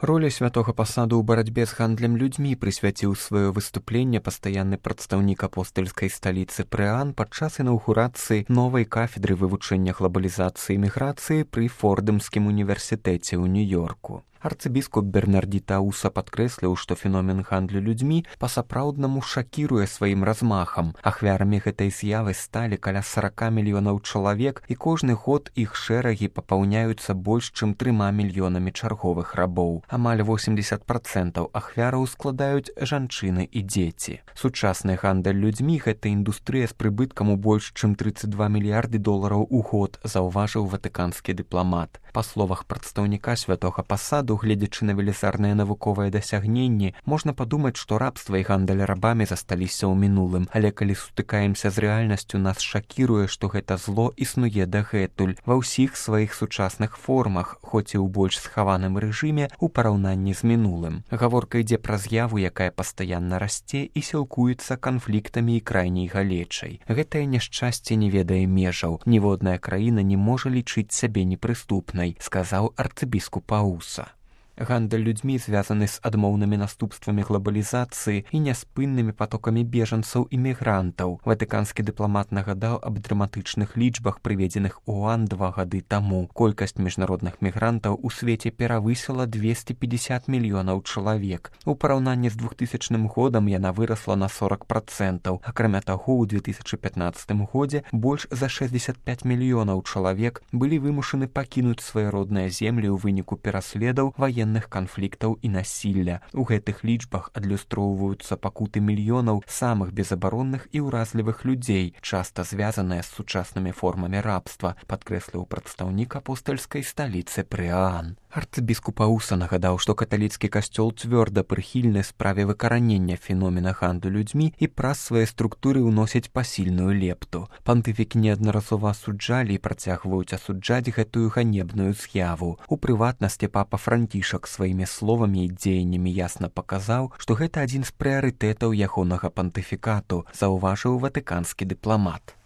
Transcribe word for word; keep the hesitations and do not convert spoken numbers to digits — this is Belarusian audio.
Роля святога пасаду ў барацьбе з гандлем людзьмі прысвяціў сваё выступленне пастаянны прадстаўнік апостальскай сталіцы Прыан падчас інаўгурацыі новай кафедры вывучэння глабалізацыі і міграцыі пры Фордэмскім універсітэце ў Нью-Йорку. Арцыбіскуп Бернардзі Тауса падкрэсліў, што феномен гандлю людзьмі па-сапраўднаму шакіруе сваім размахам. Ахвярамі гэтай з'явы сталі каля сорока мільёнаў чалавек, і кожны год іх шэрагі папаўняюцца больш чым трыма мільёнамі чарговых рабоў. Амаль восемьдесят процентаў ахвяраў складаюць жанчыны і дзеці. Сучасны гандаль людзьмі — гэта індустрыя з прыбыткам у больш чым тридцать два мільярды долараў у год, заўважыў ватыканскі дыпламат. Па словах прадстаўніка святога пасаду, гледзячы на велізарныя навуковыя дасягненні, можна падумаць, што рабства і гандаль рабамі засталіся ў мінулым, але калі сутыкаемся з рэальнасцю, нас шакіруе, што гэта зло існуе дагэтуль ва ўсіх сваіх сучасных формах, хоць і ў больш схаваным рэжыме у параўнанні з мінулым. Гаворка ідзе пра з'яву, якая пастаянна расце і сілкуецца канфліктамі і крайняй галечай. Гэтае няшчасце не ведае межаў. Ніводная краіна не можа лічыць сябе непрыступнай, сказаў арцыбіскуп Ауса. Гандаль людзьмі звязаны з адмоўнымі наступствамі глабалізацыі і няспыннымі патокамі бежанцаў і мігрантаў. Ватыканскі дыпламат нагадаў аб драматычных лічбах, прыведзеных ООН два гады таму. Колькасць міжнародных мігрантаў у свеце перавысіла двести пятьдесят мільёнаў чалавек. У параўнанні з двухтысячным годам яна вырасла на сорок процентаў. Акрамя таго, у две тысячы пятнаццатым годзе больш за шестьдесят пять мільёнаў чалавек былі вымушаны пакінуць свае родныя землі ў выніку пераследаў, ваенных канфліктаў і насілля. У гэтых лічбах адлюстроўваюцца пакуты мільёнаў самых безабаронных і ўразлівых людзей, часта звязаныя з сучаснымі формамі рабства, падкрэсліў прадстаўнік апостальскай сталіцы Прыан. Арцыбіскуп Ауса нагадаў, што каталіцкі касцёл цвёрда прыхільны справе выкаранення феномена гандлю людзьмі і праз свае структуры ўносяць пасільную лепту. Пантыфікі неаднаразова асуджалі і працягваюць асуджаць гэтую ганебную з'яву. У прыватнасці папа Францішак сваімі словамі і дзеяннямі ясна паказаў, што гэта адзін з прыярытэтаў ягонага пантыфікату, заўважыў ватыканскі дыпламат.